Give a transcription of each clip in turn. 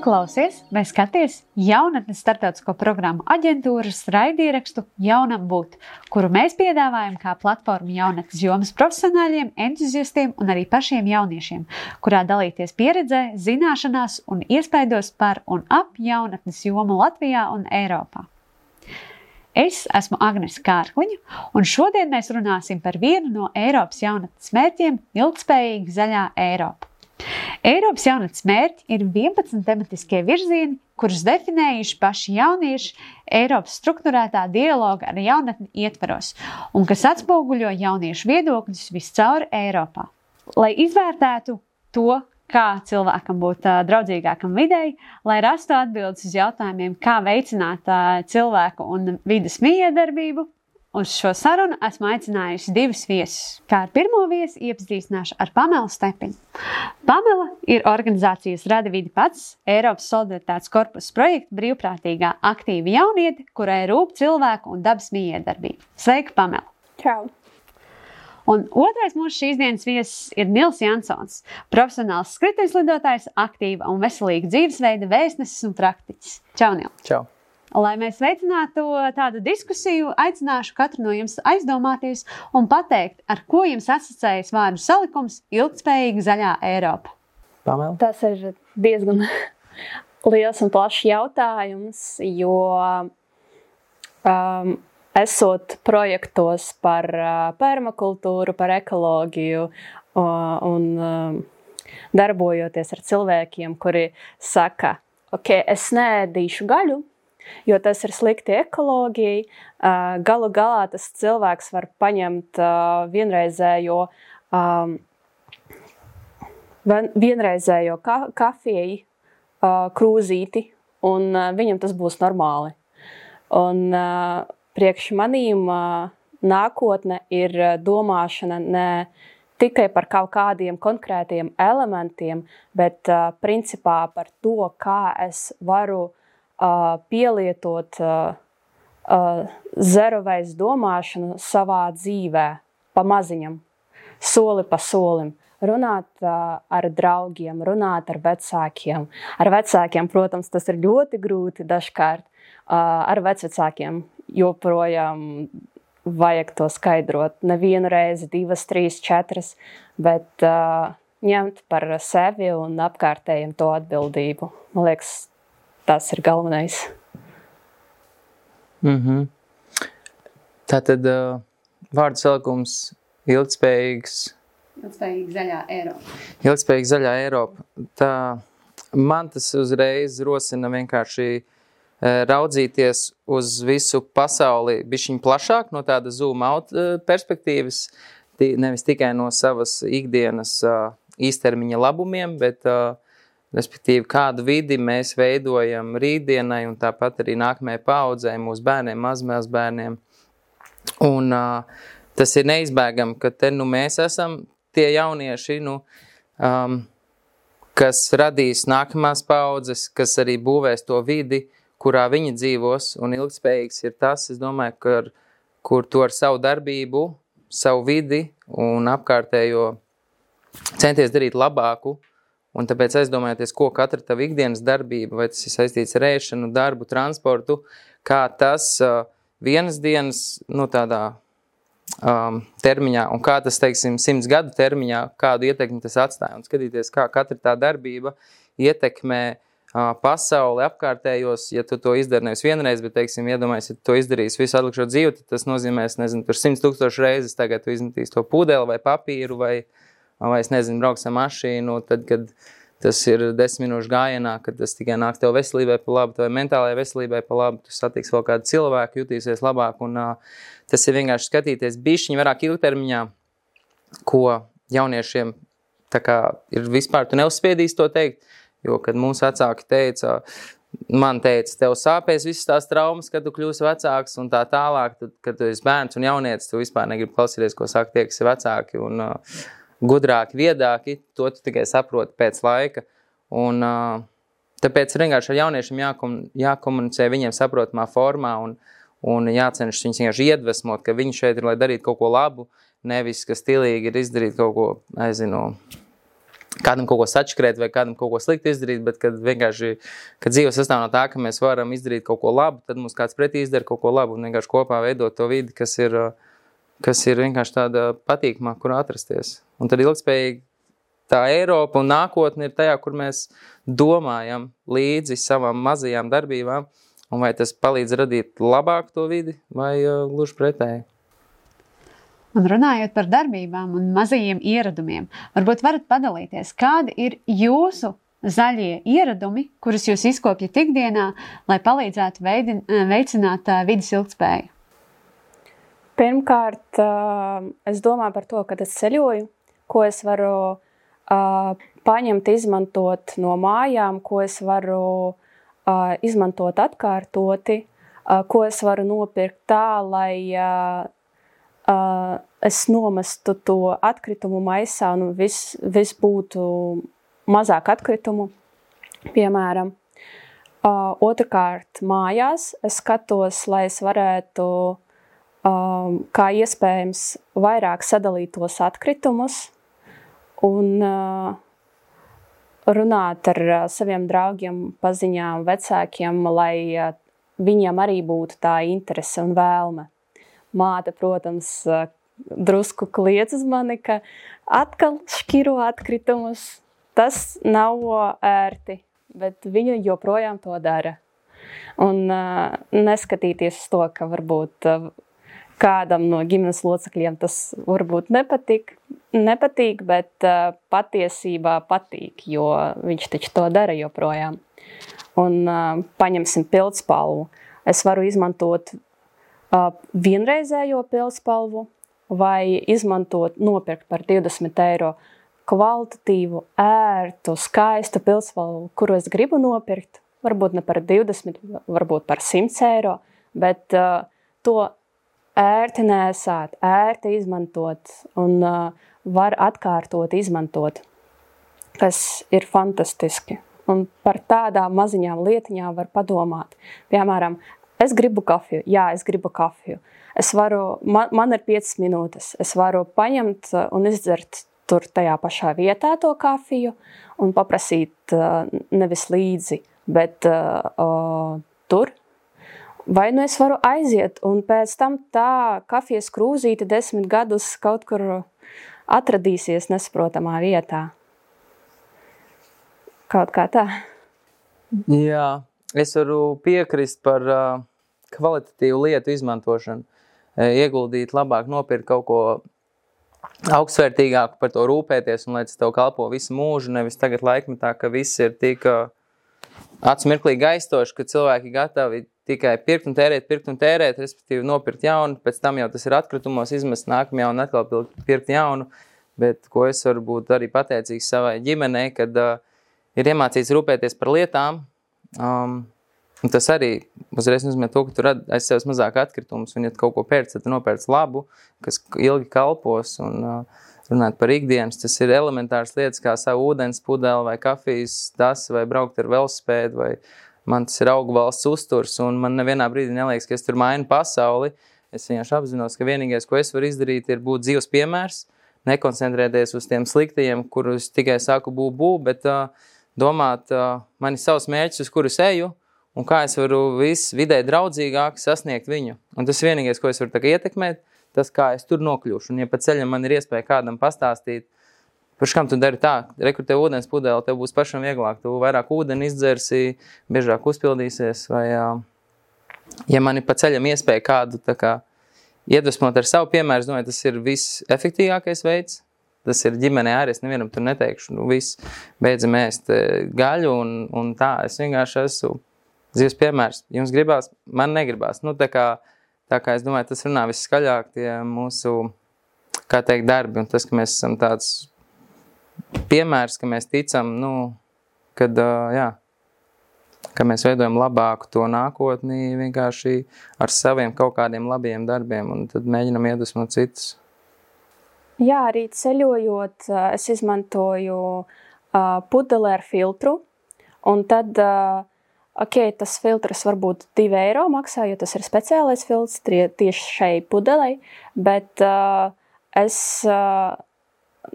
klausies vai skaties jaunatnes starptautisko programmu aģentūras raidierakstu Jaunam būt, kuru mēs piedāvājam kā platformu jaunatnes jomas profesionāļiem, entuziastiem un arī pašiem jauniešiem, kurā dalīties pieredzē, zināšanās un iespaidos par un ap jaunatnes jomu Latvijā un Eiropā. Es esmu Agnese Kārkliņa, un šodien mēs runāsim par vienu no Eiropas jaunatnes mērķiem – ilgtspējīga zaļā Eiropa. Eiropas jaunatnes mērķi ir 11 tematiskie virzieni, kurus definējuši paši jaunieši Eiropas strukturētā dialoga ar jaunatni ietvaros un kas atspoguļo jauniešu viedokļus viscaur Eiropā. Lai izvērtētu to, kā cilvēkam būt draudzīgākam videi, lai rastu atbildes uz jautājumiem, kā veicināt cilvēku un vides mijiedarbību, uz šo sarunu esmu aicinājusi divus viesus. Kā ar pirmo viesi iepazīstināšu ar Pamelu Stepiņu. Pamela ir organizācijas Rada vidi pats, Eiropas solidaritātes korpusa projekta brīvprātīgā aktīva jauniete, kurai rūp cilvēku un dabas mijiedarbība. Sveika, Pamela! Čau! Un otrais mūsu šīs dienas viesis ir Nils Jansons, profesionāls skrituļslidotājs, aktīva un veselīga dzīvesveida vēstnesis un praktiķis. Čau, Nil! Čau! Lai mēs veicinātu tādu diskusiju, aicināšu katru no jums aizdomāties un pateikt, ar ko jums asociējas vārdu salikums ilgtspējīga zaļā Eiropa. Pamela? Tas ir diezgan liels un plašs jautājums, jo esot projektos par permakultūru, par ekoloģiju un darbojoties ar cilvēkiem, kuri saka, ok, es neēdīšu gaļu, jo tas ir slikti ekoloģijai. Galu galā tas cilvēks var paņemt vienreizējo kafiju krūzīti, un viņam tas būs normāli. Un priekš manīm nākotne ir domāšana ne tikai par kaut kādiem konkrētiem elementiem, bet principā par to, kā es varu pielietot zeroveis domāšanu savā dzīvē, pa maziņam, soli pa solim. Runāt ar draugiem, runāt ar vecākiem. Ar vecākiem, protams, tas ir ļoti grūti dažkārt. Ar vecvecākiem joprojām vajag to skaidrot. Nevienu reizi, 2, 3, 4, bet ņemt par sevi un apkārtējiem to atbildību. Man liekas, tas ir galvenais. Tātad vārdu salikums Ilgtspējīga zaļā Eiropa. Ilgtspējīga zaļā Eiropa. Man tas uzreiz rosina vienkārši raudzīties uz visu pasauli bišķiņ plašāk no tāda zoom out perspektīvas, nevis tikai no savas ikdienas īstermiņa labumiem, bet respektīvi, kādu vidi mēs veidojam rītdienai un tāpat arī nākamajai paaudzei, mūsu bērniem, mazbērniem. Un tas ir neizbēgami, ka te mēs esam tie jaunieši, kas radīs nākamās paaudzes, kas arī būvēs to vidi, kurā viņi dzīvos, un ilgtspējīgs ir tas, es domāju, kur to ar savu darbību, savu vidi un apkārtējo centies darīt labāku. Un tāpēc aizdomājoties, ko katra tava ikdienas darbība, vai tas ir saistīts ar ēšanu, darbu, transportu, kā tas vienas dienas tādā termiņā, un kā tas, teiksim, 100 gadu termiņā, kādu ietekmi tas atstāja. Un skatīties, kā katra tā darbība ietekmē pasauli apkārtējos, ja tu to izdari nevis vienreiz, bet, teiksim, iedomājies, ja tu to izdarīs visu atlikušo dzīvi, tad tas nozīmēs, tur 100,000 reizes tagad tu izmetīs to pūdeli vai papīru vai es nezinu, brauks ar mašīnu, tad, kad tas ir 10 minūšu gājienā, kad tas tikai nāk tev veselībai pa labu, tev mentālajai veselībai pa labu, tu satiks vēl kādu cilvēku, jutīsies labāk, un tas ir vienkārši skatīties bišķiņi vairāk ilgtermiņā, ko jauniešiem tā kā ir vispār, tu neuzspiedīs to teikt, jo, kad mūsu vecāki teica, tev sāpēs visas tās traumas, kad tu kļūsi vecāks un tā tālāk, tad, kad tu esi bērns un jaunietis, tu vispār negribi klausīties, ko saka tie, kas ir vecāki, un gudrāki, viedāki, to tu tikai saproti pēc laika. Un tāpēc vienkārši ar jauniešiem jākomunicē viņiem saprotamā formā un jācenšas viņus vienkārši iedvesmot, ka viņi šeit ir, lai darītu kaut ko labu, nevis, ka stilīgi ir izdarīt kaut ko, kādam kaut ko sačkrēt vai kādam kaut ko slikti izdarīt, bet kad vienkārši, kad dzīve sastāv no tā, ka mēs varam izdarīt kaut ko labu, tad mums kāds pretī izdara kaut ko labu un vienkārši kopā veidot to vidi, kas ir vienkārši tāda patīkamā, kur atrasties. Un tad ilgspējīgi tā Eiropa un nākotne ir tajā, kur mēs domājam līdzi savām mazajām darbībām, un vai tas palīdz radīt labāku to vidi vai gluži pretēji. Un runājot par darbībām un mazajiem ieradumiem, varbūt varat padalīties, kādi ir jūsu zaļie ieradumi, kurus jūs izkopjat ikdienā, lai palīdzētu veicināt vides ilgtspēju? Pirmkārt, es domāju par to, kad es ceļoju, ko es varu paņemt, izmantot no mājām, ko es varu izmantot atkārtoti, ko es varu nopirkt tā, lai es nomestu to atkritumu maisā un viss būtu mazāk atkritumu, piemēram. Otrkārt, mājās es skatos, lai es varētu, kā iespējams, vairāk sadalīt tos atkritumus un runāt ar saviem draugiem, paziņām, vecākiem, lai viņiem arī būtu tā interese un vēlme. Māte, protams, drusku kliedz uz mani, ka atkal šķiro atkritumus. Tas nav ērti, bet viņa joprojām to dara. Un neskatīties uz to, ka varbūt kādam no ģimenes locekļiem tas varbūt nepatīk, bet patiesībā patīk, jo viņš taču to dara joprojām. Un paņemsim pildspalvu. Es varu izmantot vienreizējo pildspalvu vai nopirkt par 20 eiro kvalitatīvu, ērtu, skaistu pildspalvu, kuru es gribu nopirkt. Varbūt ne par 20, varbūt par 100 eiro, bet to ērti nēsāt, ērti izmantot un var atkārtot izmantot, kas ir fantastiski. Un par tādām maziņām lietiņām var padomāt. Piemēram, es gribu kafiju. Jā, es gribu kafiju. Man ir 5 minūtes. Es varu paņemt un izdzert tur tajā pašā vietā to kafiju un paprasīt nevis līdzi, bet tur. Vai nu es varu aiziet un pēc tam tā kafijas krūzīte 10 gadus kaut kur atradīsies nesaprotamā vietā. Kaut kā tā. Jā, es varu piekrist par kvalitatīvu lietu izmantošanu. Ieguldīt labāk, nopirkt kaut ko augstsvērtīgāku, par to rūpēties un lai tas tev kalpo visu mūžu, nevis tagad laikmetā, ka viss ir tik atsmirklīgi aizstoši, ka cilvēki gatavi tikai pirkt un tērēt, respektīvi nopirkt jaunu, pēc tam jau tas ir atkritumos izmest nākamajā un atkal pirkt jaunu, bet ko es varu būt arī pateicīgs savai ģimenei, kad ir iemācīts rūpēties par lietām, un tas arī uzreiz nozīmē to, ka tu radi aiz sevis mazāk atkritumus, un ja tu kaut ko pērc, tad tu nopērc labu, kas ilgi kalpos, un runāt par ikdienas, tas ir elementārs lietas, kā savu ūdens pudeli vai kafijas tasi, vai braukt ar velosipēdu, vai man tas ir augu valsts uzturs, un man nevienā brīdī neliekas, ka es tur mainu pasauli. Es vienkārši apzinos, ka vienīgais, ko es varu izdarīt, ir būt dzīves piemērs, nekoncentrēties uz tiem sliktajiem, kurus tikai saku bū, bet domāt, man ir savs mērķis, uz kuru es eju, un kā es varu vidē draudzīgāk sasniegt viņu. Un tas vienīgais, ko es varu ietekmēt, tas, kā es tur nokļūšu. Un ja pa ceļam man ir iespēja kādam pastāstīt, par kam tu dari tā, rekur tev ūdens pudeli, tev būs pašam vieglāk, tu vairāk ūdeni izdzersi, biežāk uzpildīsies, vai ja man ir pa ceļam iespēja kādu tā kā iedvesmot ar savu piemēru, es domāju, tas ir visefektīgākais veids. Tas ir ģimenē arī, es nevienam tur neteikšu, viss beidzam ēst gaļu un tā, es vienkārši esmu dzīves piemērs. Jums gribās, man negribās. Tā kā es domāju, tas runā viskaļāk tie mūsu, kā teikt, darbi, un tas, ka mēs esam tāds piemērs, ka mēs ticam, kad, ka mēs veidojam labāku to nākotni vienkārši ar saviem kaut kādiem labiem darbiem, un tad mēģinam iedvesmot citus. Jā, arī ceļojot, es izmantoju pudeli ar filtru, un tad, tas filtrs varbūt 2 eiro maksā, jo tas ir speciālais filtrs tieši šai pudelei, bet es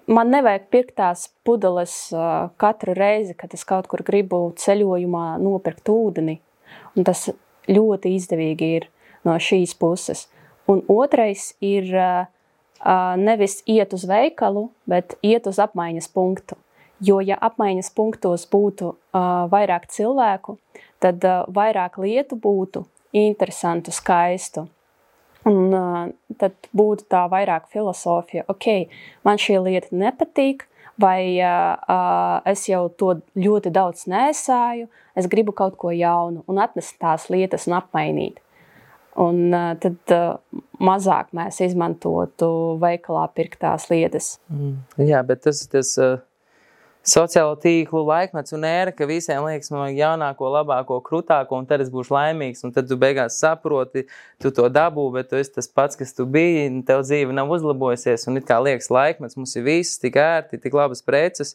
man nevajag pirkt tās pudeles katru reizi, kad es kaut kur gribu ceļojumā nopirkt ūdeni. Un tas ļoti izdevīgi ir no šīs puses. Un otrais ir nevis iet uz veikalu, bet iet uz apmaiņas punktu. Jo, ja apmaiņas punktos būtu vairāk cilvēku, tad vairāk lietu būtu interesantu, skaistu. Un tad būtu tā vairāk filosofija. Ok, man šī lieta nepatīk, vai es jau to ļoti daudz nesāju, es gribu kaut ko jaunu un atnest tās lietas un apmainīt. Un tad mazāk mēs izmantotu veikalā pirktās lietas. Jā, bet tas sociālo tīklu laikmets un ēra, ka visiem liekas no jaunāko, labāko, krutāko, un tad es būšu laimīgs, un tad tu beigās saproti, tu to dabū, bet tu esi tas pats, kas tu biji, un tev dzīve nav uzlabojusies, un it kā liekas laikmets, mums ir viss tik ērti, tik labas preces,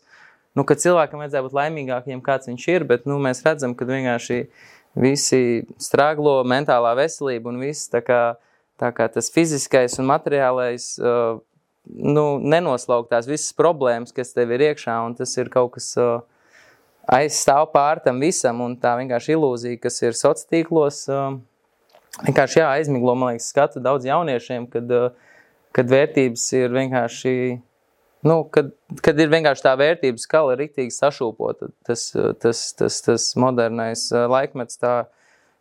nu, ka cilvēkam vajadzētu būt laimīgākiem, kāds viņš ir, bet, nu, mēs redzam, ka vienkārši visi strāglo mentālā veselība un viss tā kā tas fiziskais un materiālais, nenoslauktās visas problēmas, kas tev ir iekšā, un tas ir kaut kas aizstāv pār tam visam, un tā vienkārši ilūzija, kas ir sociālos, vienkārši aizmiglo, man liekas, skatu daudz jauniešiem, kad vērtības ir vienkārši, kad ir vienkārši tā vērtības skala riktīgi sašūpota, tas modernais laikmets tā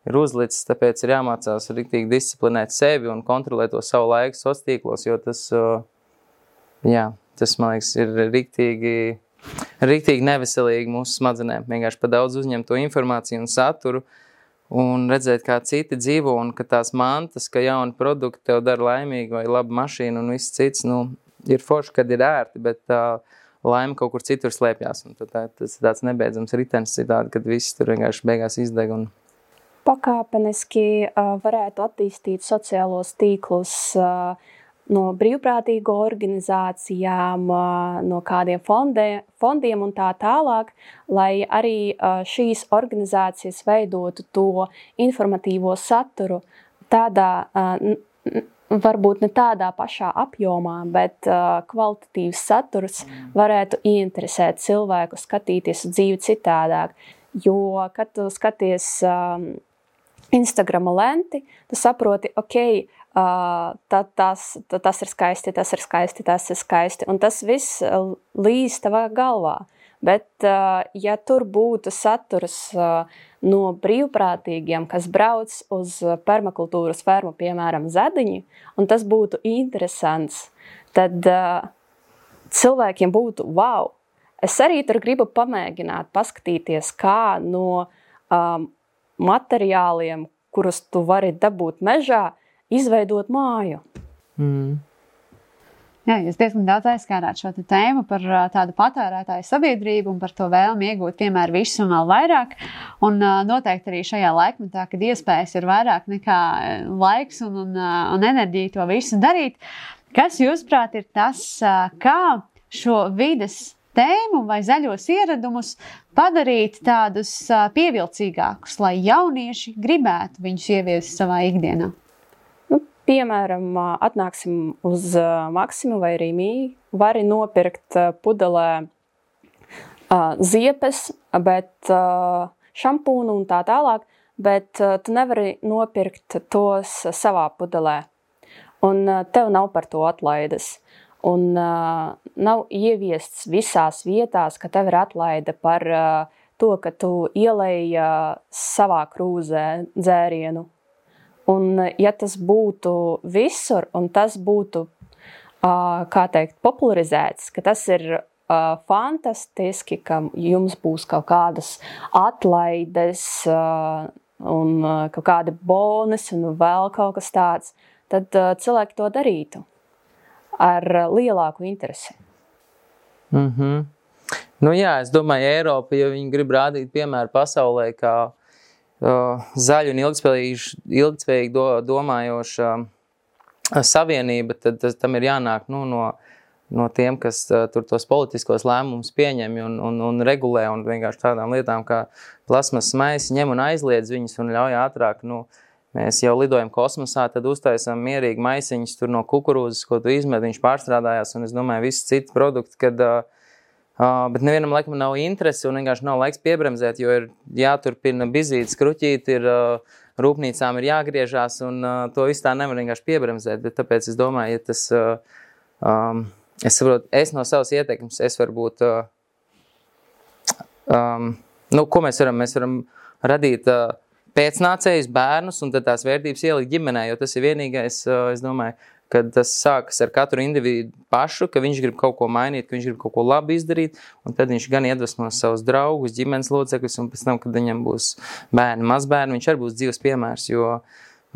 ir uzlicis, tāpēc ir jāmācās riktīgi disciplinēt sevi un kontrolēt to savu laiku sociālos, jo tas man liekas, ir riktīgi neveselīgi mūsu smadzenēm. Vienkārši pa daudz uzņemt to informāciju un saturu un redzēt, kā citi dzīvo un ka tās mantas, ka jauni produkti tev dara laimīgi vai laba mašīna un viss cits, ir forši, kad ir ērti, bet tā laime kaut kur citur slēpjās. Un tas ir tāds nebeidzams ritenis citādi, kad viss tur vienkārši beigās izdeg. Pakāpeniski varētu attīstīt sociālos tīklus no brīvprātīgo organizācijām, no kādiem fondiem un tā tālāk, lai arī šīs organizācijas veidotu to informatīvo saturu tādā, varbūt ne tādā pašā apjomā, bet kvalitatīvs saturs varētu ieinteresēt cilvēku skatīties uz dzīvi citādāk. Jo, kad tu skaties Instagrama lenti, tu saproti, tas ir skaisti, tas ir skaisti, tas ir skaisti. Un tas viss līdz tavā galvā. Bet, ja tur būtu saturs no brīvprātīgiem, kas brauc uz permakultūras fermu, piemēram, Zediņi, un tas būtu interesants, tad cilvēkiem būtu wow. Es arī tur gribu pamēģināt, paskatīties, kā no materiāliem, kurus tu vari dabūt mežā, izveidot māju. Jā, jūs diezgan daudz aizskārāt šo tēmu par tādu patērētāju sabiedrību un par to vēlmi iegūt vienmēr visu un vēl vairāk. Un noteikti arī šajā laikmetā, kad iespējas ir vairāk nekā laiks un enerģija to visu darīt. Kas jūsuprāt ir tas, kā šo vides tēmu vai zaļos ieradumus padarīt tādus pievilcīgākus, lai jaunieši gribētu viņus ieviest savā ikdienā? Piemēram, atnāksim uz Maksimu vai Rīmī, vari nopirkt pudelē ziepes, bet šampūnu un tā tālāk, bet tu nevari nopirkt tos savā pudelē. Un tev nav par to atlaides. Un nav ieviests visās vietās, ka tev ir atlaide par to, ka tu ielej savā krūzē dzērienu. Un ja tas būtu visur, un tas būtu, popularizēts, ka tas ir fantastiski, ka jums būs kaut kādas atlaides un kaut kādi bonus un vēl kaut kas tāds, tad cilvēki to darītu ar lielāku interesi. Es domāju, Eiropa, ja viņi grib rādīt piemēru pasaulē, kā zaļu un ilgtspējīgi domājoša savienība, tad tam ir jānāk no tiem, kas tur tos politiskos lēmumus pieņem un regulē un vienkārši tādām lietām kā plasmas maisi ņem un aizliedz viņus un ļauj ātrāk mēs jau lidojam kosmosā, tad uztaisām mierīgi maisiņus tur no kukurūzas, ko tu izmet, viņš pārstrādājās, un es domāju, visi citi produkti, kad, bet nevienam laikam nav interesi un vienkārši nav laiks piebremzēt, jo ir jāturpina bizīt, skruķīt, ir rūpnīcām ir jāgriežās, un to visu tā nevar vienkārši piebremzēt, bet tāpēc es domāju, ja tas, es saprotu, es no savas ieteikums, es varbūt, ko mēs varam radīt pēcnācējus, bērnus, un tad tās vērtības ielikt ģimenē, jo tas ir vienīgais, es domāju, kad tas sākas ar katru individu pašu, ka viņš grib kaut ko mainīt, ka viņš grib kaut ko labi izdarīt, un tad viņš gan iedvesmos savus draugus, ģimenes locekļus, un pēc tam, kad viņam būs bērni, mazbērni, viņš arī būs dzīves piemērs, jo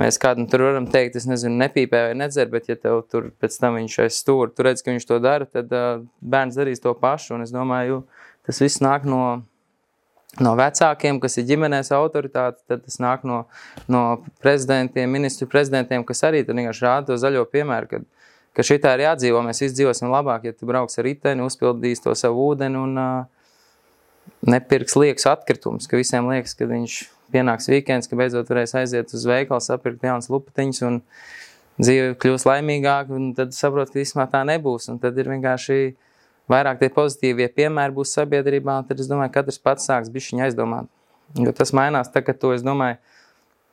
mēs kādam tur varam teikt, es nezinu, nepīpē vai nedzer, bet ja tev tur pēc tam viņš aiz stūra, tu redz, ka viņš to dara, tad bērns darīs to pašu, un es domāju, tas viss nāk no vecākiem, kas ir ģimenēs autoritāte, tad tas nāk no prezidentiem, ministru prezidentiem, kas arī tad vienkārši rāda to zaļo piemēru, ka šitā ir jādzīvo, mēs visi dzīvosim labāk, ja tu brauks ar riteni, uzpildīs to savu ūdeni un nepirks liekas atkritumus, ka visiem liekas, ka viņš pienāks weekends, ka beidzot varēs aiziet uz veikalu, sapirkt jaunas lupatiņas un dzīve kļūs laimīgāk, un tad saprot, ka vismā tā nebūs, un tad ir vienkārši vairāk tie pozitīvie piemēri būs sabiedrībā, tad es domāju, katrs pats sāks bišķiņu aizdomāt. Jo tas mainās tā, ka tu, es domāju,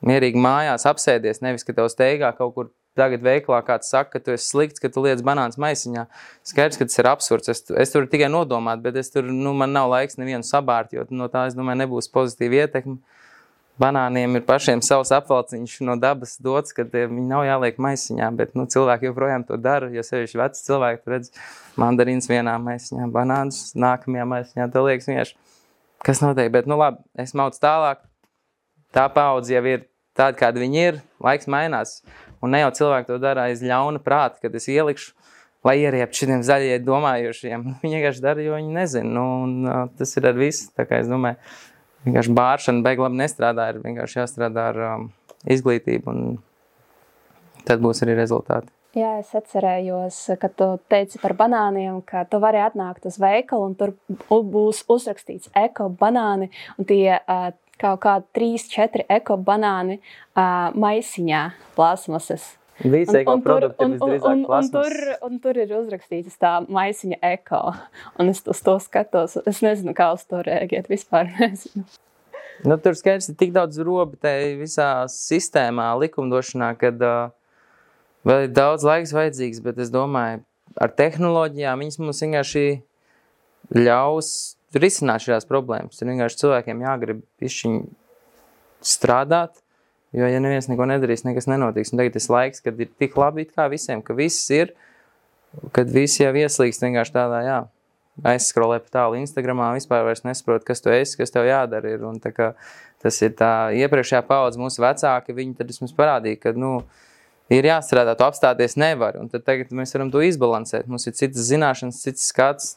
mierīgi mājās apsēdies, nevis, ka tev steigā kaut kur tagad veikalā kāds saka, ka tu esi slikts, ka tu liec banāns maisiņā. Skaidrs, ka tas ir absurds. Es tur tikai nodomāt, bet es tur, man nav laiks nevienu sabārt, jo no tā, es domāju, nebūs pozitīva ietekme. Banāniem ir pašiem savs apvalciņš no dabas dots, ka viņi nav jāliek maisiņā, bet cilvēki joprojām to dara, jo sevišķi veci cilvēki, tu redz mandarīns vienā maisiņā, banānus nākamajā maisiņā, tev liekas vienkārši, kas notiek, bet labi, es maucu tālāk, tā paudze jau ir tāda, kāda viņi ir, laiks mainās, un ne jau cilvēki to dara aiz ļauna prāta, kad es ielikšu, lai ieriep šitiem zaļie domājošiem, viņi vienkārši dara, jo viņi nezina, un tas ir ar visu, tā kā es domāju, vienkārši bāršana beig labi nestrādā, ir vienkārši jāstrādā ar izglītību, un tad būs arī rezultāti. Jā, es atcerējos, ka tu teici par banāniem, ka tu vari atnākt uz veikalu, un tur būs uzrakstīts eko banāni, un tie kaut kādi 3-4 eko banāni maisiņā plastmasas. Visi eko produkti visdrīzāk plasmasas. Un tur ir uzrakstīts tā maisiņa eko, un es uz to skatos, es nezinu, kā uz to rēģēt, vispār nezinu. Tur skaidrs ir tik daudz robi tai visā sistēmā, likumdošanā, kad vēl ir daudz laiks vajadzīgs, bet es domāju, ar tehnoloģijām viņas mums vienkārši ļaus risināt šīs problēmas. Ir vienkārši cilvēkiem jāgrib pišķiņ strādāt, jo, ja neviens neko nedarīs, nekas nenotiks. Un tagad ir laiks, kad ir tik labi kā visiem, ka viss ir, kad visi jau ieslīgst vienkārši tādā, aizskrolē pa tālu Instagramā, vispār vairs nesaprot, kas tu esi, kas tev jādara ir. Un tā kā tas ir tā iepriekšējā paudze mūsu vecāki, viņi tad mums parādīja, ka, ir jāstrādā, tu apstāties nevar. Un tad tagad mēs varam to izbalansēt. Mums ir citas zināšanas, cits skats,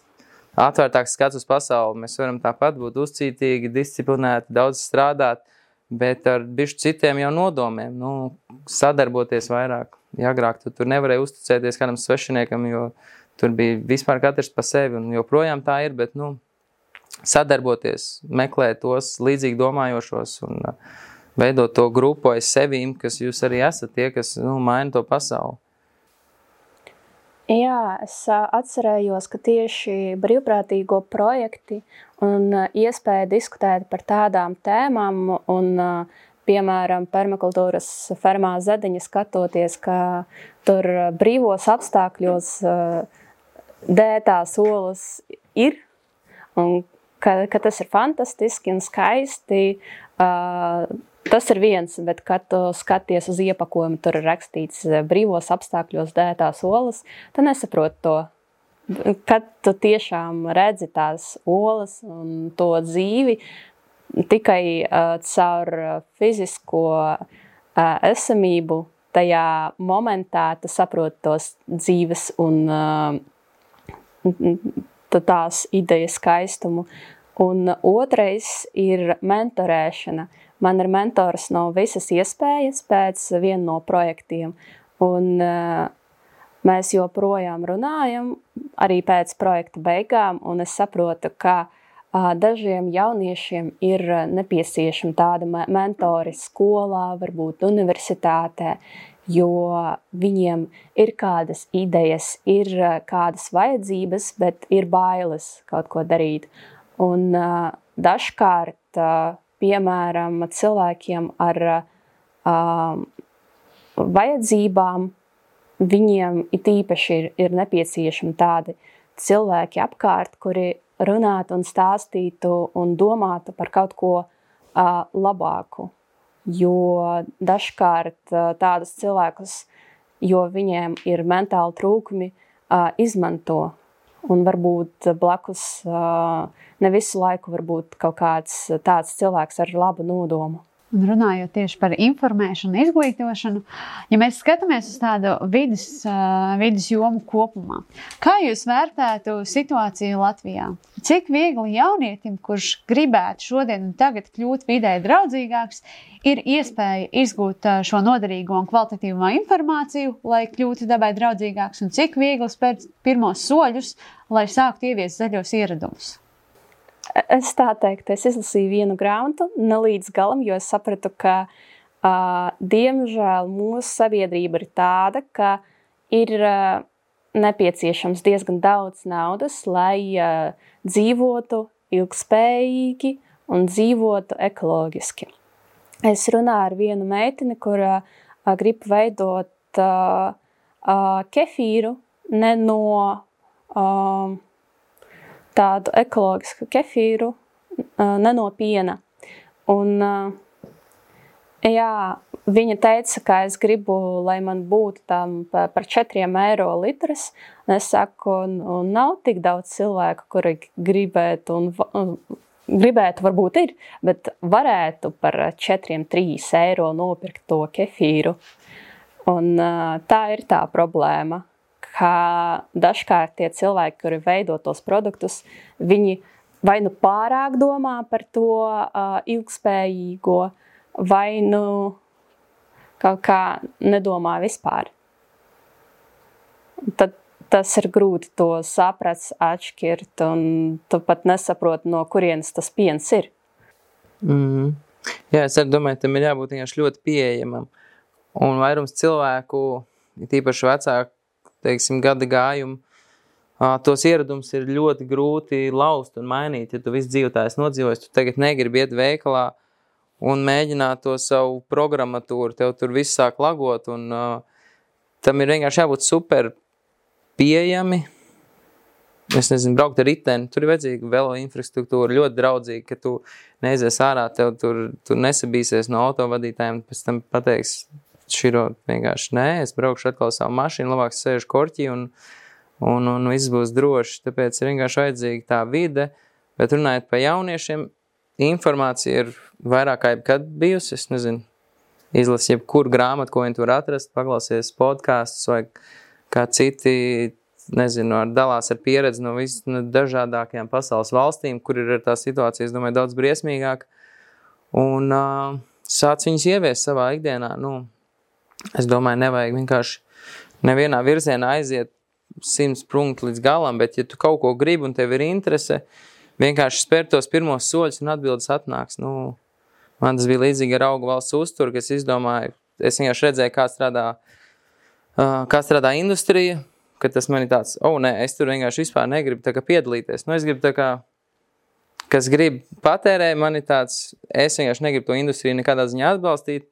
atvērtāks skats uz pasauli. Mēs varam tāpat būt uzcītīgi, disciplinēti, daudz strādāt, bet ar bišķi citiem jau nodomiem, sadarboties vairāk. Ja agrāk tu tur nevarēja uzticēties kādam svešiniekam, jo tur bija vispār katrs pa sevi, un joprojām tā ir, bet, sadarboties, meklēt tos līdzīgi domājošos un veidot to grupu aiz sevīm, kas jūs arī esat tie, kas, maina to pasauli. Jā, es atcerējos, ka tieši brīvprātīgo projekti un iespēja diskutēt par tādām tēmām un, piemēram, permakultūras fermā Zediņa skatoties, ka tur brīvos apstākļos dētās olas ir un ka tas ir fantastiski un skaisti. Tas ir viens, bet kad tu skaties uz iepakojumu, tur ir rakstīts brīvos apstākļos dētās olas, tu nesaproti to. Kad tu tiešām redzi tās olas un to dzīvi, tikai caur fizisko esamību tajā momentā tu saproti tos dzīves un tās idejas skaistumu. Un otrais ir mentorēšana. Man ir mentors no visas iespējas pēc viena no projektiem, un mēs joprojām runājam arī pēc projekta beigām, un es saprotu, ka Dažiem jauniešiem ir nepieciešami tādi mentori skolā, varbūt universitātē, jo viņiem ir kādas idejas, ir kādas vajadzības, bet ir bailes kaut ko darīt. Un dažkārt, piemēram, cilvēkiem ar vajadzībām, viņiem it īpaši ir nepieciešami tādi cilvēki apkārt, kuri runātu un stāstītu un domātu par kaut ko labāku. Jo dažkārt tādus cilvēkus, jo viņiem ir mentāli trūkumi, izmanto. Un varbūt blakus ne visu laiku varbūt kaut kāds tāds cilvēks ar labu nodomu. Un runājot tieši par informēšanu, izglītošanu, ja mēs skatāmies uz tādu vidas jomu kopumā, kā jūs vērtētu situāciju Latvijā? Cik viegli jaunietim, kurš gribētu šodien un tagad kļūt vidē draudzīgāks, ir iespēja izgūt šo noderīgo un kvalitatīvo informāciju, lai kļūtu dabai draudzīgāks, un cik viegli spērt pirmos soļus, lai sāktu ieviest zaļos ieradumus? Es tā teiktu, es izlasīju vienu grāmatu, ne līdz galam, jo es sapratu, ka, diemžēl, mūsu sabiedrība ir tāda, ka ir nepieciešams diezgan daudz naudas, lai dzīvotu ilgspējīgi un dzīvotu ekoloģiski. Es runāju ar vienu meiteni, kura grib veidot kefīru ne no tādu ekoloģisku kefīru, ne no piena. Un, jā, viņa teica, ka es gribu, lai man būtu tam par 4 eiro litras. Un es saku, un nav tik daudz cilvēku, kuri gribētu, gribētu varbūt ir, bet varētu par 4-3 eiro nopirkt to kefīru. Un tā ir tā problēma, ka dažkārt tie cilvēki, kuri veido tos produktus, viņi vai nu pārāk domā par to ilgspējīgo, vai nu kaut kā nedomā vispār. Tad tas ir grūti to saprast, atšķirt, un tu pat nesaproti, no kurienes tas piens ir. Jā, es arī domāju, tam ir jābūt vienkārši ļoti pieejamam. Un vairums cilvēku, tīpaši vecāku, teiksim, gada gājumu, tos ieradumus ir ļoti grūti laust un mainīt. Ja tu visu dzīvotājs nodzīvojis, tu tagad negribi iet veikalā un mēģināt to savu programmatūru, tev tur viss sāk lagot, un tam ir vienkārši jābūt super pieejami. Es nezinu, braukt ar riteni, tur ir vajadzīga velo infrastruktūra, ļoti draudzīga, ka tu neaizies ārā, tev tur nesabīsies no autovadītājiem, pēc tam pateiks, širo vienkārši nē, es braukšu atkal savu mašīnu, labāk sēžu korķī un viss būs droši. Tāpēc ir vienkārši vajadzīga tā vide, bet runājot par jauniešiem, informācija ir vairāk kā jebkad bijusi, es nezinu, izlasi jebkuru grāmatu, ko viņi tur atrast, paklausies podcasts vai kā citi, nezinu, dalās ar pieredzi no dažādākajām pasaules valstīm, kur ir tā situācija, es domāju, daudz briesmīgāk, un sāc viņus ieviest savā ikdienā, es domāju, nevajag vienkārši nevienā virzienā aiziet 100 punktu līdz galam, bet ja tu kaut ko gribi un tev ir interese, vienkārši spēr tos pirmos soļus un atbildes atnāks. Man tas bija līdzīgi ar augu valsts uzturu, ka es izdomāju, es vienkārši redzēju, kā strādā industrija, ka tas man ir tāds, nē, es tur vienkārši vispār negribu tā kā piedalīties. Es gribu tā kā, kas grib patērē, man ir tāds, es vienkārši negribu to industriju nekādā ziņā atbalstīt.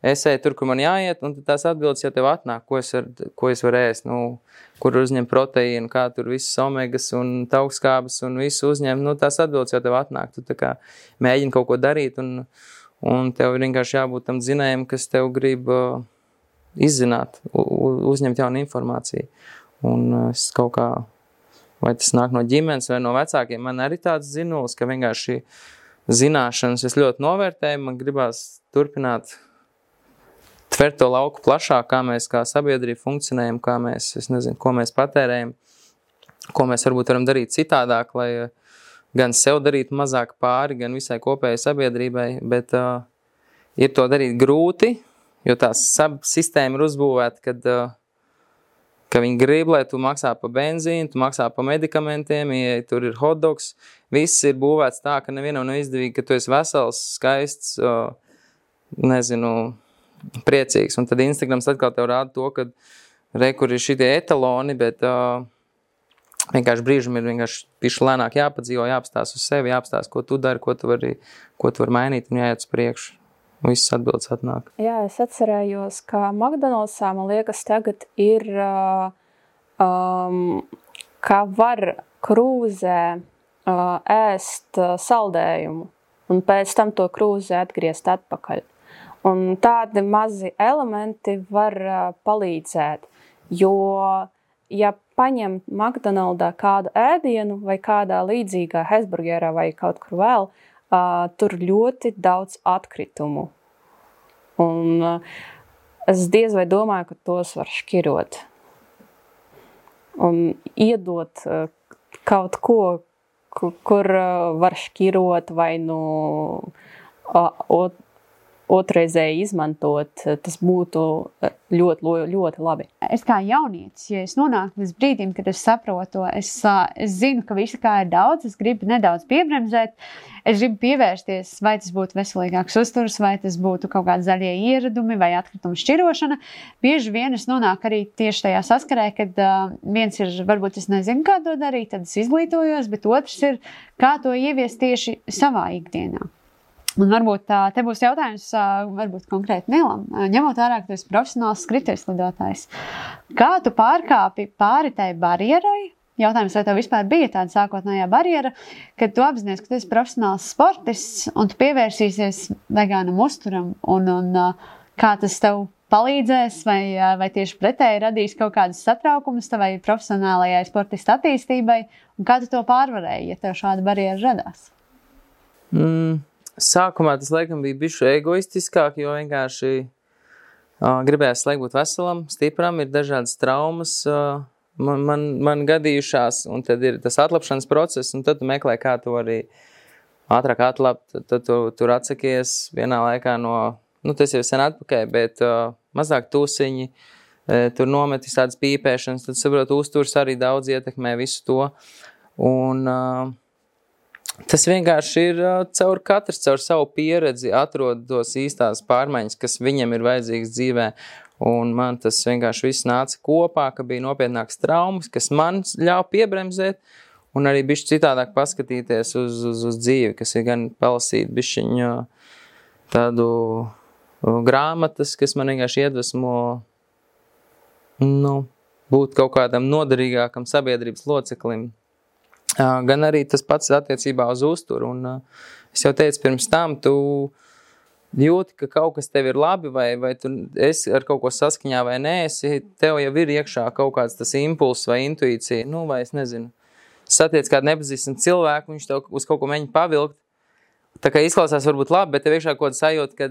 Es eju tur, kur man jāiet, un tās atbildes jau tev atnāk, ko es varu ēst, kur uzņem proteīnu, kā tur visas omegas un taukskābes un visu uzņem, tās atbildes jau tev atnāk. Tu tā kā mēģini kaut ko darīt, un tev ir vienkārši jābūt tam zinējam, kas tev grib izzināt, uzņemt jaunu informāciju. Un es kaut kā, vai tas nāk no ģimenes vai no vecākiem, man arī tāds zinulis, ka vienkārši zināšanas es ļoti novērtēju, man gribās turpināt tvert to lauku plašāk, kā mēs kā sabiedrība funkcionējam, kā mēs, es nezinu, ko mēs patērējam, ko mēs varbūt varam darīt citādāk, lai gan sev darītu mazāk pāri, gan visai kopējai sabiedrībai, bet ir to darīt grūti, jo tā sistēma ir uzbūvēta, ka viņi grib, lai tu maksā pa benzīnu, tu maksā pa medikamentiem, ja tur ir hotdogs. Viss ir būvēts tā, ka nevienam nav izdevīgi, ka tu esi vesels, skaists, priecīgs. Un tad Instagrams atkal tev rāda to, ka kur ir šitie etaloni, bet vienkārši brīžam ir vienkārši piši lēnāk jāpadzīvo, jāapstās uz sevi, jāapstās, ko tu dari, ko tu vari mainīt un jāiet uz priekšu. Viss atbildes atnāk. Jā, es atcerējos, ka McDonald'sā, man liekas, tagad ir, ka var krūzē ēst saldējumu un pēc tam to krūzē atgriezt atpakaļ. Un tādi mazi elementi var palīdzēt, jo, ja paņem McDonald'ā kādu ēdienu vai kādā līdzīgā hesburgerā vai kaut kur vēl, tur ļoti daudz atkritumu. Un es diez vai domāju, ka tos var šķirot. Un iedot kaut ko, kur var šķirot vai otrreizēji izmantot, tas būtu ļoti, ļoti labi. Es kā jaunietis, ja es nonāku līdz brīdim, kad es saprotu, es zinu, ka visa kā ir daudz, es gribu nedaudz piebremzēt, es gribu pievērsties, vai tas būtu veselīgāks uzturs, vai tas būtu kaut kādi zaļie ieradumi vai atkritumu šķirošana. Bieži vien es nonāku arī tieši tajā saskarē, kad viens ir, varbūt es nezinu, kā to darīt, tad es izglītojos, bet otrs ir, kā to ieviest tieši savā ikdienā. Un varbūt te būs jautājums, varbūt konkrēti Nilam, ņemot vērā, ka tu esi profesionāls skrituļslidotājs. Kā tu pārkāpi pāri tai barjerai? Jautājums, vai tev vispār bija tāda sākotnējā barjera, kad tu apzinies, ka tu esi profesionāls sportists un tu pievērsīsies vegānam uzturam un kā tas tev palīdzēs vai tieši pretēji radīs kaut kādas satraukumus tavai profesionālajai sportista attīstībai un kā tu to pārvarēji, ja tev šāda barjera radās? Sākumā tas laikam bija bišķi egoistiskāk, jo vienkārši gribējās laikam būt veselam, stipram, ir dažādas traumas man gadījušās, un tad ir tas atlapšanas process, un tad tu meklē, kā tu arī ātrāk atlapt, tad tu tur atsakies vienā laikā tas jau sen atpakaļ, bet mazāk tūsiņi, tur nometis tādas pīpēšanas, tad saprot, uzturs arī daudz ietekmē visu to, un tas vienkārši ir katrs caur savu pieredzi atrod tos īstās pārmaiņas, kas viņam ir vajadzīgas dzīvē. Un man tas vienkārši viss nāca kopā, ka bija nopietnāks traumas, kas man ļauj piebremzēt un arī bišķi citādāk paskatīties uz dzīvi, kas ir gan palasīt bišķiņu tādu grāmatas, kas man vienkārši iedvesmo būt kaut kādam noderīgākam sabiedrības loceklim. Gan arī tas pats attiecībā uz uzturu. Un es jau teicu, pirms tam tu jūti, ka kaut kas tev ir labi, vai tu esi ar kaut ko saskaņā vai neesi, tev jau ir iekšā kaut kāds tas impulss vai intuīcija, vai es nezinu. Satiec kādu nepazīstam cilvēku, viņš tev uz kaut ko mēģina pavilkt. Tā kā izklausās varbūt labi, bet tev iekšā kaut kāda sajūta, ka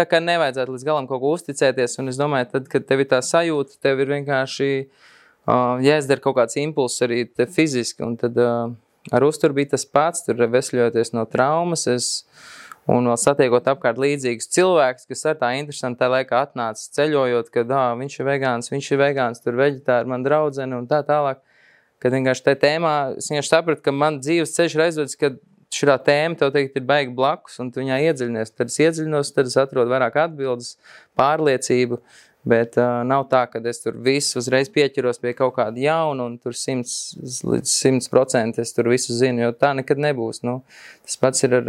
tā kā nevajadzētu līdz galam kaut ko uzticēties. Un es domāju, tad, kad tev ir tā sajūta, tev ir vienkārši jāizdara kaut kāds impulss arī te fiziski, un tad ar uzturu bija tas pats, tur vesļojoties no traumas, un vēl satiekot apkārt līdzīgus cilvēkus, kas ar tā interesanti tā laikā atnāca ceļojot, kad viņš ir vegāns, tur veģetāri, man draudzene un tā tālāk, kad vienkārši tajā tēmā, es vienkārši sapratu, ka man dzīves ceļš ir aizvedis, kad šitā tēma tev teikt ir baigi blakus, un tu viņā iedziļinies, tad es iedziļinos, tad es atrodu vairāk atbildes, pārliecību, bet nav tā, ka es tur visu uzreiz pieķeros pie kaut kāda jauna un tur 100% es tur visu zinu, jo tā nekad nebūs. Tas pats ir ar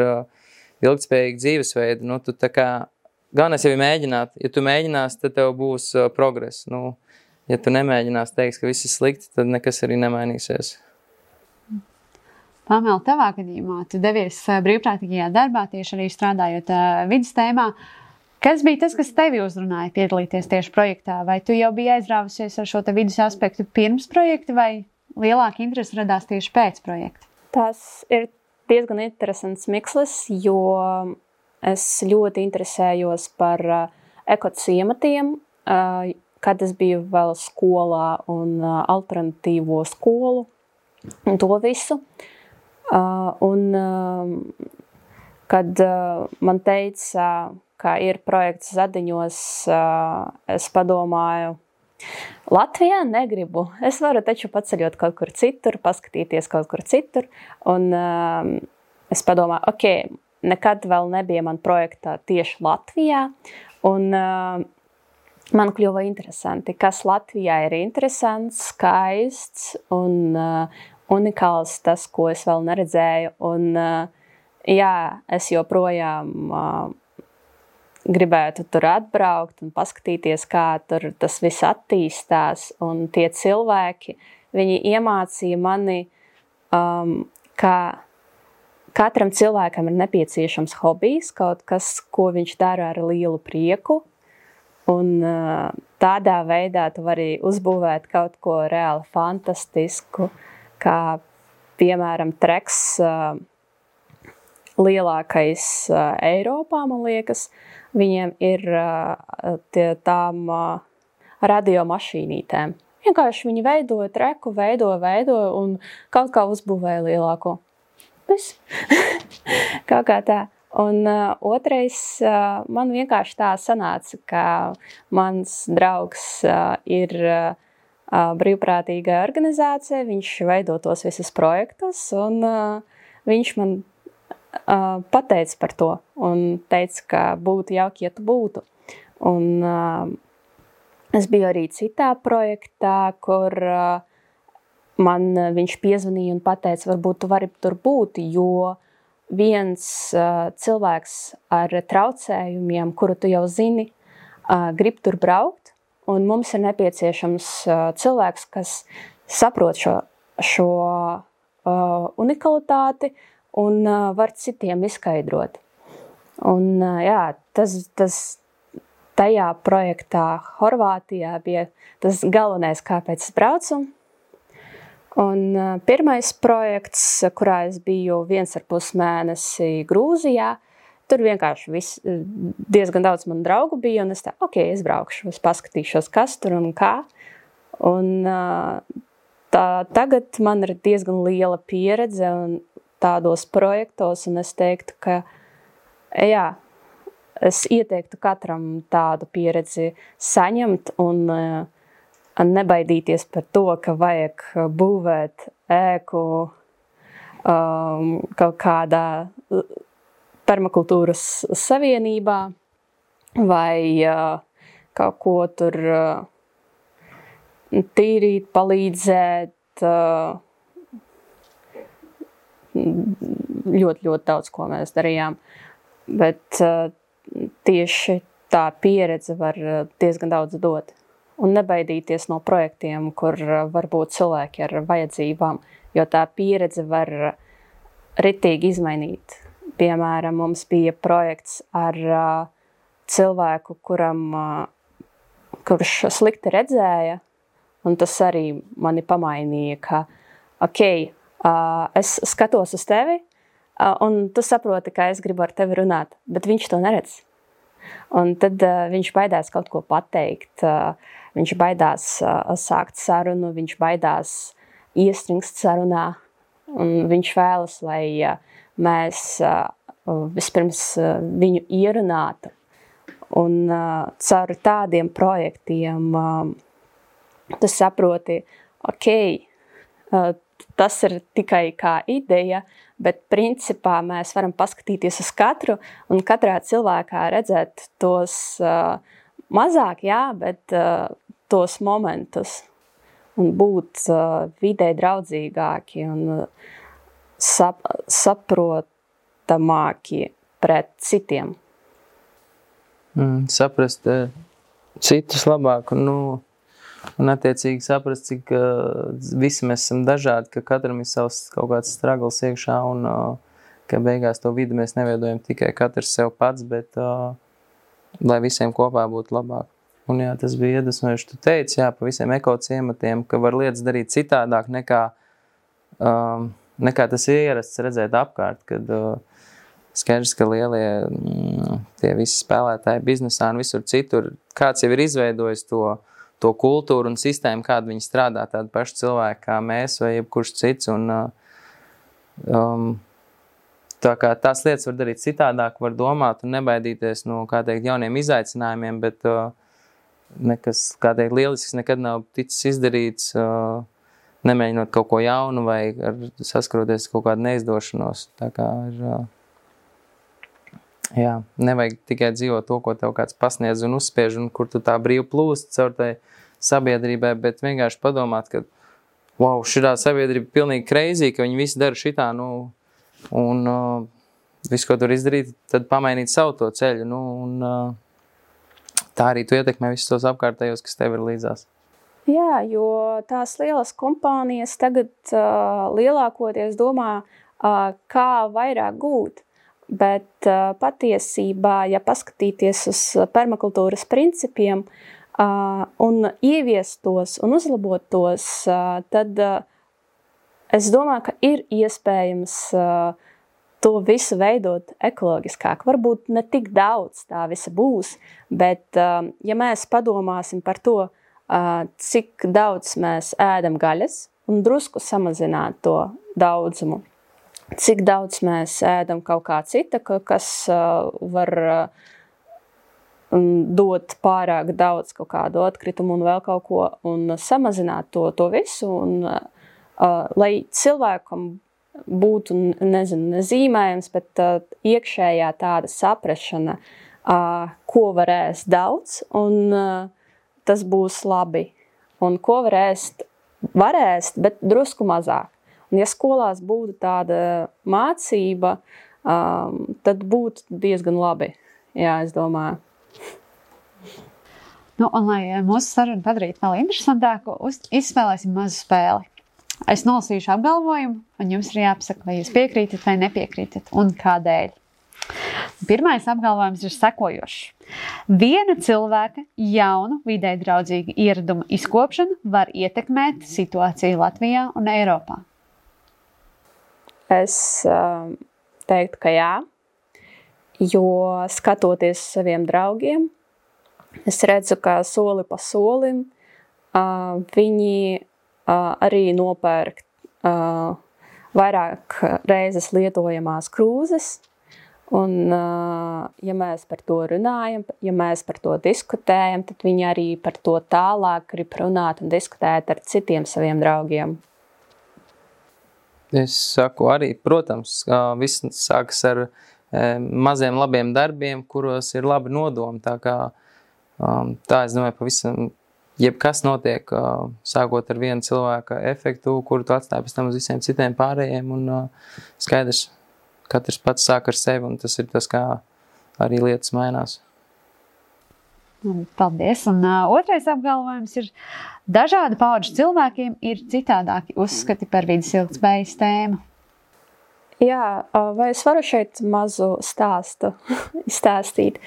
ilgtspējīgu dzīvesveidu. Tu tā kā, galvenais jau ir mēģināt. Ja tu mēģinās, tad tev būs progress. Ja tu nemēģinās, teiks, ka viss ir slikti, tad nekas arī nemainīsies. Pamela, tavā gadījumā tu devies brīvprātīgajā darbā, tieši arī strādājot vidas tēmā. Kas bija tas, kas tevi uzrunāja piedalīties tieši projektā? Vai tu jau biji aizrāvusies ar šo te vidus aspektu pirms projekta, vai lielāka interese radās tieši pēc projekta? Tas ir diezgan interesants mikslis, jo es ļoti interesējos par ekociematiem, kad es biju vēl skolā un alternatīvo skolu un to visu. Kad man teica, ka ir projekts Zadiņos, es padomāju, Latvijā negribu. Es varu taču paceļot kaut kur citur, paskatīties kaut kur citur. Un es padomāju, nekad vēl nebija man projektā tieši Latvijā. Un man kļuva interesanti, kas Latvijā ir interesants, skaists un unikāls, tas, ko es vēl neredzēju. Un es joprojām gribētu tur atbraukt un paskatīties, kā tur tas viss attīstās. Un tie cilvēki, viņi iemācīja mani, ka katram cilvēkam ir nepieciešams hobijs, kaut kas, ko viņš dara ar lielu prieku. Un tādā veidā tu vari uzbūvēt kaut ko reāli fantastisku, kā piemēram treks lielākais Eiropā, man liekas. Viņiem ir tām radiomašīnītēm. Vienkārši viņi veidoja treku, veidoja un kaut kā uzbūvēja lielāko. Viss. Kaut kā tā. Un otrais, man vienkārši tā sanāca, ka mans draugs ir brīvprātīga organizācija, viņš veido tos visus projektus, un viņš man pateica par to un teica, ka būtu jauki, ja tu būtu. Un es biju arī citā projektā, kur man viņš piezvanīja un pateica, varbūt tu vari tur būt, jo viens cilvēks ar traucējumiem, kuru tu jau zini, grib tur braukt, un mums ir nepieciešams cilvēks, kas saprot šo unikalitāti un var citiem izskaidrot. Un tas tajā projektā Horvātijā bija tas galvenais, kāpēc es braucu. Un pirmais projekts, kurā es biju 1,5 mēnesi Grūzijā, tur vienkārši diezgan daudz manu draugu bija, un es es braukšu, es paskatīšos, kas tur un kā. Un tagad man ir diezgan liela pieredze un tādos projektos, un es teiktu, ka es ieteiktu katram tādu pieredzi saņemt un nebaidīties par to, ka vajag būvēt ēku kaut kādā permakultūras savienībā vai kaut ko tur tīrīt, palīdzēt. Ļoti, ļoti daudz, ko mēs darījām. Bet tieši tā pieredze var diezgan daudz dot. Un nebaidīties no projektiem, kur var būt cilvēki ar vajadzībām, jo tā pieredze var ritīgi izmainīt. Piemēram, mums bija projekts ar cilvēku, kurš slikti redzēja, un tas arī mani pamainīja, ka es skatos uz tevi, un tu saproti, ka es gribu ar tevi runāt, bet viņš to neredz. Un tad viņš baidās kaut ko pateikt, viņš baidās sākt sarunu, viņš baidās iestrigst sarunā, un viņš vēlas, lai mēs vispirms viņu ierunātu. Un caur tādiem projektiem tu saproti, tas ir tikai kā ideja, bet principā mēs varam paskatīties uz katru un katrā cilvēkā redzēt tos mazāk, bet tos momentus un būt vidē draudzīgāki un saprotamāki pret citiem. Saprast citus labāk un attiecīgi saprast, cik visi mēs esam dažādi, ka katram ir savs kaut kāds struggles iekšā un ka beigās to vidi mēs neveidojam tikai katrs sev pats, bet lai visiem kopā būtu labāk. Un tas bija iedvesmojoši. Tu teici, pa visiem ekociematiem, ka var lietas darīt citādāk nekā tas ir ierasts redzēt apkārt, kad skaidrs, ka lielie tie visi spēlētāji biznesā un visur citur, kāds jau ir izveidojis to kultūru un sistēmu, kādu viņi strādā, tādi paši cilvēki kā mēs vai jebkurš cits. Un, tā kā tās lietas var darīt citādāk, var domāt un nebaidīties no, kā teikt, jauniem izaicinājumiem, bet nekas, kā teikt, lielisks nekad nav ticis izdarīts, nemēģinot kaut ko jaunu vai saskaroties kaut kādu neizdošanos. Tā kā ir, jā, nevajag tikai dzīvot to, ko tev kāds pasniedz un uzspiež, un kur tu tā brīvi plūst caur tai sabiedrībai, bet vienkārši padomāt, ka wow, šitā sabiedrība pilnīgi crazy, ka viņi visi dara šitā, un visu, ko tur izdarīt, tad pamainīt savu to ceļu, un tā arī tu ietekmē visus tos apkārtējos, kas tev ir līdzās. Jā, jo tās lielas kompānijas tagad lielākoties domā, kā vairāk gūt, bet patiesībā, ja paskatīties uz permakultūras principiem un ieviest tos un uzlabot tos, tad es domāju, ka ir iespējams to visu veidot ekoloģiskāk. Varbūt ne tik daudz tā visa būs, bet ja mēs padomāsim par to, cik daudz mēs ēdam gaļas un drusku samazināt to daudzumu, cik daudz mēs ēdam kaut kā cita, kas var dot pārāk daudz kaut kādu atkritumu un vēl kaut ko un samazināt to visu, un lai cilvēkam būtu, nezinu, nezīmējams, bet iekšējā tāda saprašana, ko var ēst daudz, un tas būs labi. Un ko var ēst, bet drusku mazāk. Un ja skolās būtu tāda mācība, tad būtu diezgan labi. Jā, es domāju. Un lai mūsu sarunu padarītu vēl interesantāku, izspēlēsim mazu spēli. Es nolasīšu apgalvojumu, un jums ir jāpasaka, vai jūs piekrītat vai nepiekrītat, un kādēļ. Pirmais apgalvojums ir sekojošs. Viena cilvēka jaunu, vidē draudzīgu ieradumu izkopšana var ietekmēt situāciju Latvijā un Eiropā. Es teiktu, ka jā, jo skatoties saviem draugiem, es redzu, ka soli pa solim viņi arī nopērk vairāk reizes lietojamās krūzes, un ja mēs par to runājam, ja mēs par to diskutējam, tad viņi arī par to tālāk grib runāt un diskutēt ar citiem saviem draugiem. Es saku arī, protams, viss sākas ar maziem labiem darbiem, kuros ir labi nodomi, tā kā tā, es domāju, pavisam jebkas notiek, sākot ar vienu cilvēka efektu, kuru tu atstāji pēc tam uz visiem citiem pārējiem, un skaidrs, katrs pats sāk ar sevi, un tas ir tas, kā arī lietas mainās. Paldies. Un otrais apgalvojums ir, dažādu paudžu cilvēkiem ir citādāki uzskati par vidas ilgtspējas tēmu. Jā, vai es varu šeit mazu stāstu izstāstīt?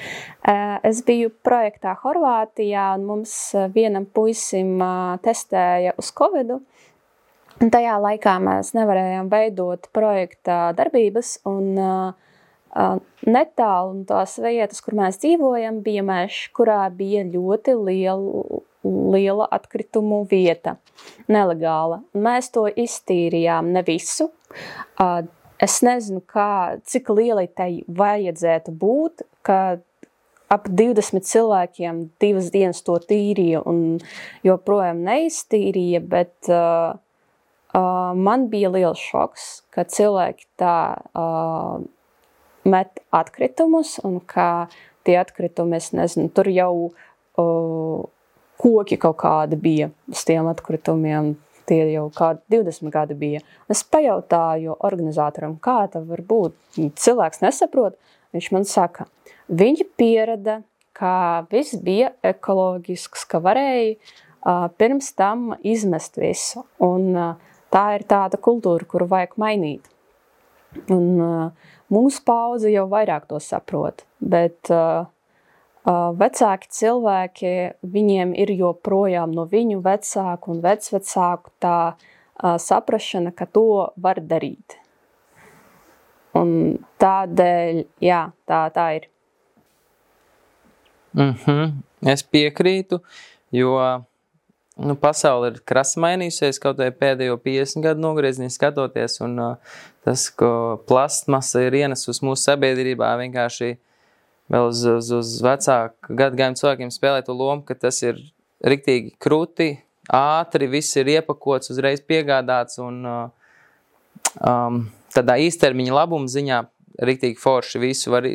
Es biju projektā Horvātijā, un mums vienam puisim testēja uz Covidu. Un tajā laikā mēs nevarējām veidot projekta darbības, un netālu no tās vietas, kur mēs dzīvojam, bija mežs, kurā bija ļoti liela atkritumu vieta, nelegāla. Un mēs to iztīrījām, ne visu. Es nezinu, cik lielai tai vajadzētu būt, ka ap 20 cilvēkiem 2 dienas to tīrīja un joprojām neiztīrīja, bet man bija liels šoks, ka cilvēki tā met atkritumus, un ka tie atkritumi, es nezinu, tur jau koki kaut kādi bija uz tiem atkritumiem. Tie jau kādi 20 gadi bija. Es pajautāju organizatoram, kā tā var būt. Cilvēks nesaprot. Viņš man saka, viņi pierada, ka viss bija ekoloģisks, ka varēja pirms tam izmest visu. Un tā ir tāda kultūra, kuru vajag mainīt. Un mūsu paudze jau vairāk to saprot, bet vecāki cilvēki, viņiem ir joprojām no viņu vecāku un vecvecāku tā saprašana, ka to var darīt. Un tādēļ, jā, tā ir. Es piekrītu, jo pasaule ir krasi mainījusies, kaut vai pēdējo 50 gadu nogriezienī skatoties, un tas, ko plastmasa ir ienesus mūsu sabiedrībā, vienkārši vēl uz vecāku gadagājumu cilvēkiem spēlē to lomu, ka tas ir riktīgi kruti, ātri, viss ir iepakots, uzreiz piegādāts un tādā īstermiņa labuma ziņā riktīgi forši visu var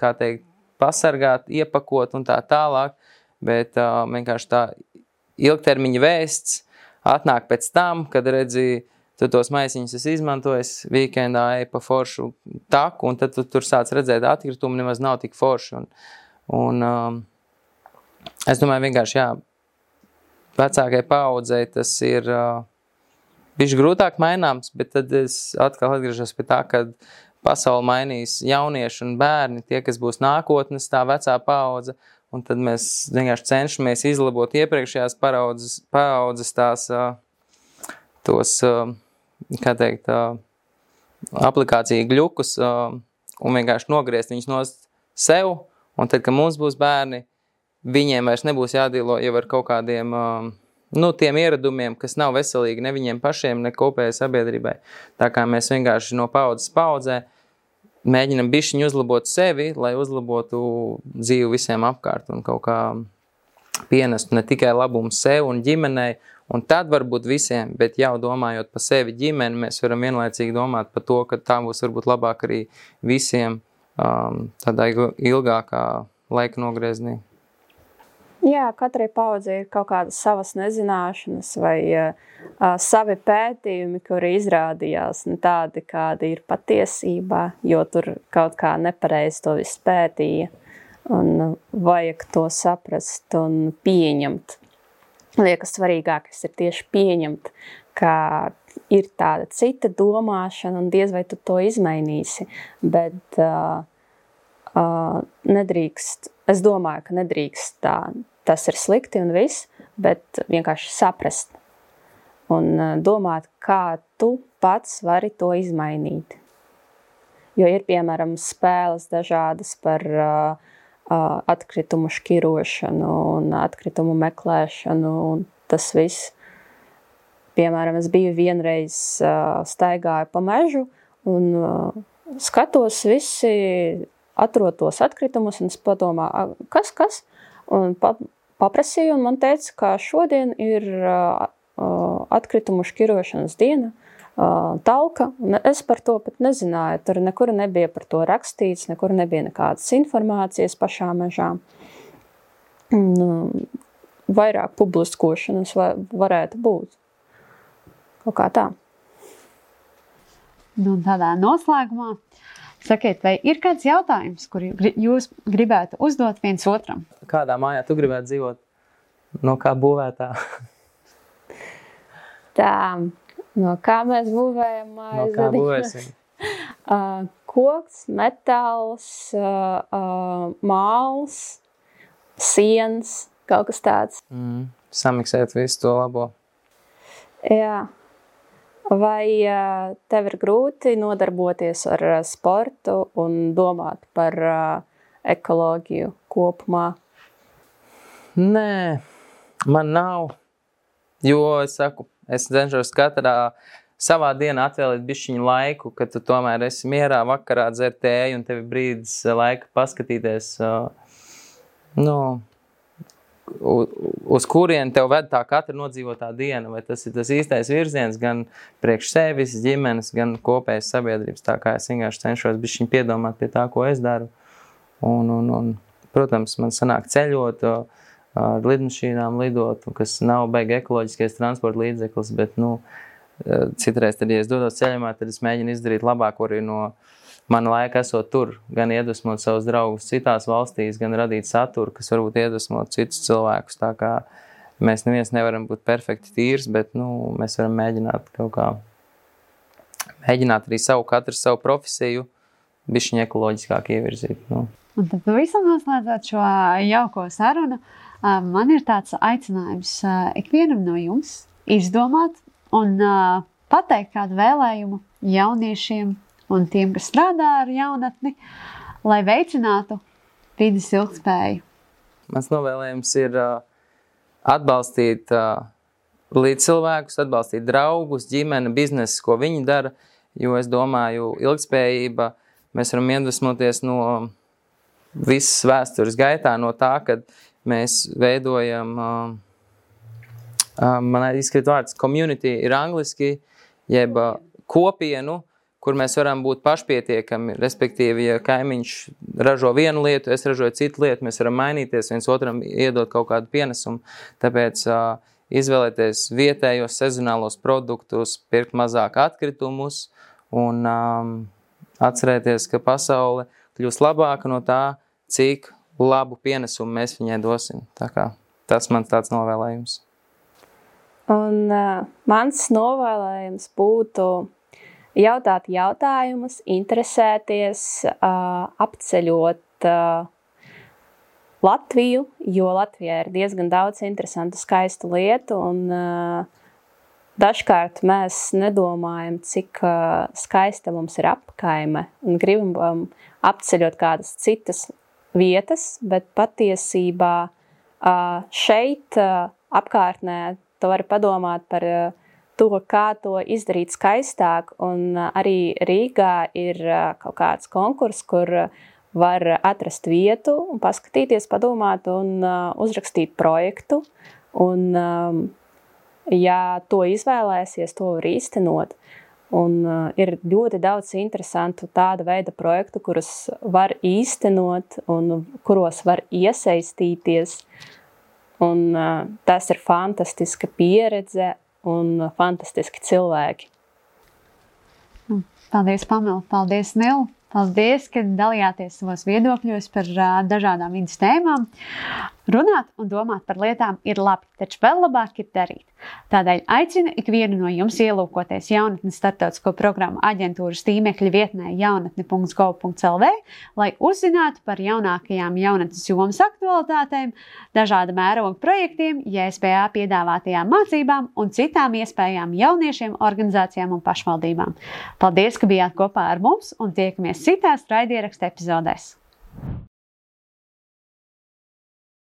kā teikt, pasargāt, iepakot un tā tālāk, bet vienkārši tā ilgtermiņa vēsts atnāk pēc tam, kad redzi, tu tos maisiņus esi izmantojis, weekendā ej pa foršu taku, un tad tu tur sāc redzēt atkritumu, nemaz nav tik forši. Un es domāju vienkārši, jā, vecākai paaudzei tas ir bišķi grūtāk maināms, bet tad es atkal atgriežos pie tā, kad pasauli mainīs jaunieši un bērni, tie, kas būs nākotnes, tā vecā paudze, un tad mēs vienkārši cenšamies izlabot iepriekšējās paaudzes tās, tos, kā teikt, aplikāciju gļukus, un vienkārši nogriezt viņus no sev, un tad, kad mums būs bērni, viņiem vairs nebūs jādīlo jau ar kaut kādiem, tiem ieradumiem, kas nav veselīgi ne viņiem pašiem, ne kopējai sabiedrībai. Tā kā mēs vienkārši no paudzes paudzē mēģinam bišķiņu uzlabot sevi, lai uzlabotu dzīvi visiem apkārt un kaut kā pienestu ne tikai labumu sev un ģimenei, un tad varbūt visiem, bet jau domājot par sevi ģimeni, mēs varam vienlaicīgi domāt par to, ka tā būs varbūt labāk arī visiem tādā ilgākā laika nogrieznī. Jā, katrai paudzei ir kaut kādas savas nezināšanas vai savi pētījumi, kuri izrādījās ne tādi, kādi ir patiesībā, jo tur kaut kā nepareizi to visu pētīja. Un vajag to saprast un pieņemt. Liekas, svarīgākais ir tieši pieņemt, ka ir tāda cita domāšana un diez vai tu to izmainīsi, bet nedrīkst, es domāju, ka nedrīkst tā, tas ir slikti un viss, bet vienkārši saprast un domāt, kā tu pats vari to izmainīt. Jo ir, piemēram, spēles dažādas par atkritumu šķirošanu un atkritumu meklēšanu un tas viss. Piemēram, es biju vienreiz staigāju pa mežu un skatos visi atrod tos atkritumus un es padomāju, kas? Un paprasīju un man teica, ka šodien ir atkritumu šķirošanas diena, talka, un es par to pat nezināju, tur nekur nebija par to rakstīts, nekur nebija nekādas informācijas pašā mežā. Vairāk publiskošanas varētu būt. Kaut kā tā. Nu, tādā noslēgumā sakiet, vai ir kāds jautājums, kur jūs gribētu uzdot viens otram? Kādā mājā tu gribētu dzīvot? No kā būvētā? Tā, no kā mēs būvējam mājas? No kā būvēsim? Koks, metāls, māls, siens, kaut kas tāds. Samiksēt visu to labo. Jā. Vai tev ir grūti nodarboties ar sportu un domāt par ekoloģiju kopumā? Nē, man nav, jo es saku, es cenšos katrā savā dienā atvēlēt bišķiņu laiku, kad tu tomēr esi mierā vakarā dzert tēju un tev ir brīdis laika paskatīties, uz kurien tev ved tā katra nodzīvotā diena, vai tas ir tas īstais virziens gan priekš sevis, ģimenes, gan kopējas sabiedrības, tā kā es vienkārši cenšos bišķiņu piedomāt pie tā, ko es daru. Un protams, man sanāk ceļot, ar lidmašīnām lidot, kas nav baigi ekoloģiskais transporta līdzeklis, bet, citreiz, tad, ja es dodos ceļamā, tad es mēģinu izdarīt labāko arī no mana laika esot tur, gan iedvesmot savus draugus citās valstīs, gan radīt saturu, kas varbūt iedvesmot citus cilvēkus. Tā kā mēs neviens nevaram būt perfekti tīrs, bet mēs varam mēģināt kaut kā, mēģināt arī katru savu profesiju bišķiņ ekoloģiskāk ievirzīt. Un tad pavisam noslēdzot šo jauko sarunu, man ir tāds aicinājums ikvienam no jums izdomāt un pateikt kādu vēlējumu jauniešiem un tiem, kas strādā ar jaunatni, lai veicinātu vides ilgtspēju. Mans novēlējums ir atbalstīt līdzcilvēkus, atbalstīt draugus, ģimeni, biznesu, ko viņi dara, jo es domāju, ilgtspējība, mēs varam iedvesmoties no visas vēstures gaitā no tā, kad mēs veidojam, man izskrīt vārds, community ir angliski, jeb kopienu, kur mēs varam būt pašpietiekami, respektīvi, ja kaimiņš ražo vienu lietu, es ražoju citu lietu, mēs varam mainīties, viens otram iedot kaut kādu pienesumu, tāpēc izvēlēties vietējos sezonālos produktus, pirkt mazāk atkritumus un atcerēties, ka pasaule kļūs labāka no tā, cik labu pienesumu mēs viņai dosim. Tā kā tas mans tāds novēlējums. Un mans novēlējums būtu jautāt jautājumus, interesēties, apceļot Latviju, jo Latvijā ir diezgan daudz interesantu, skaistu lietu, un dažkārt mēs nedomājam, cik skaista mums ir apkaime, un gribam apceļot kādas citas vietas, bet patiesībā šeit apkārtnē tu vari padomāt par to, kā to izdarīt skaistāk, un arī Rīgā ir kaut kāds konkurss, kur var atrast vietu un paskatīties, padomāt un uzrakstīt projektu, un ja to izvēlēsies, to var īstenot. Un ir ļoti daudz interesantu tāda veida projektu, kurus var īstenot un kuros var iesaistīties, un tas ir fantastiska pieredze un fantastiski cilvēki. Paldies, Pamela. Paldies, Nil. Paldies, ka dalījāties savos viedokļos par dažādām vidas tēmām. Runāt un domāt par lietām ir labi, taču vēl labāk ir darīt. Tādēļ aicinu ikvienu no jums ielūkoties Jaunatnes starptautisko programmu aģentūras tīmekļa vietnē jaunatne.gov.lv, lai uzzinātu par jaunākajām jaunatnes jomas aktualitātēm, dažāda mēroga projektiem, JSPA piedāvātajām mācībām un citām iespējām jauniešiem, organizācijām un pašvaldībām. Paldies, ka bijāt kopā ar mums un tiekamies citās raidierakstu epizodēs.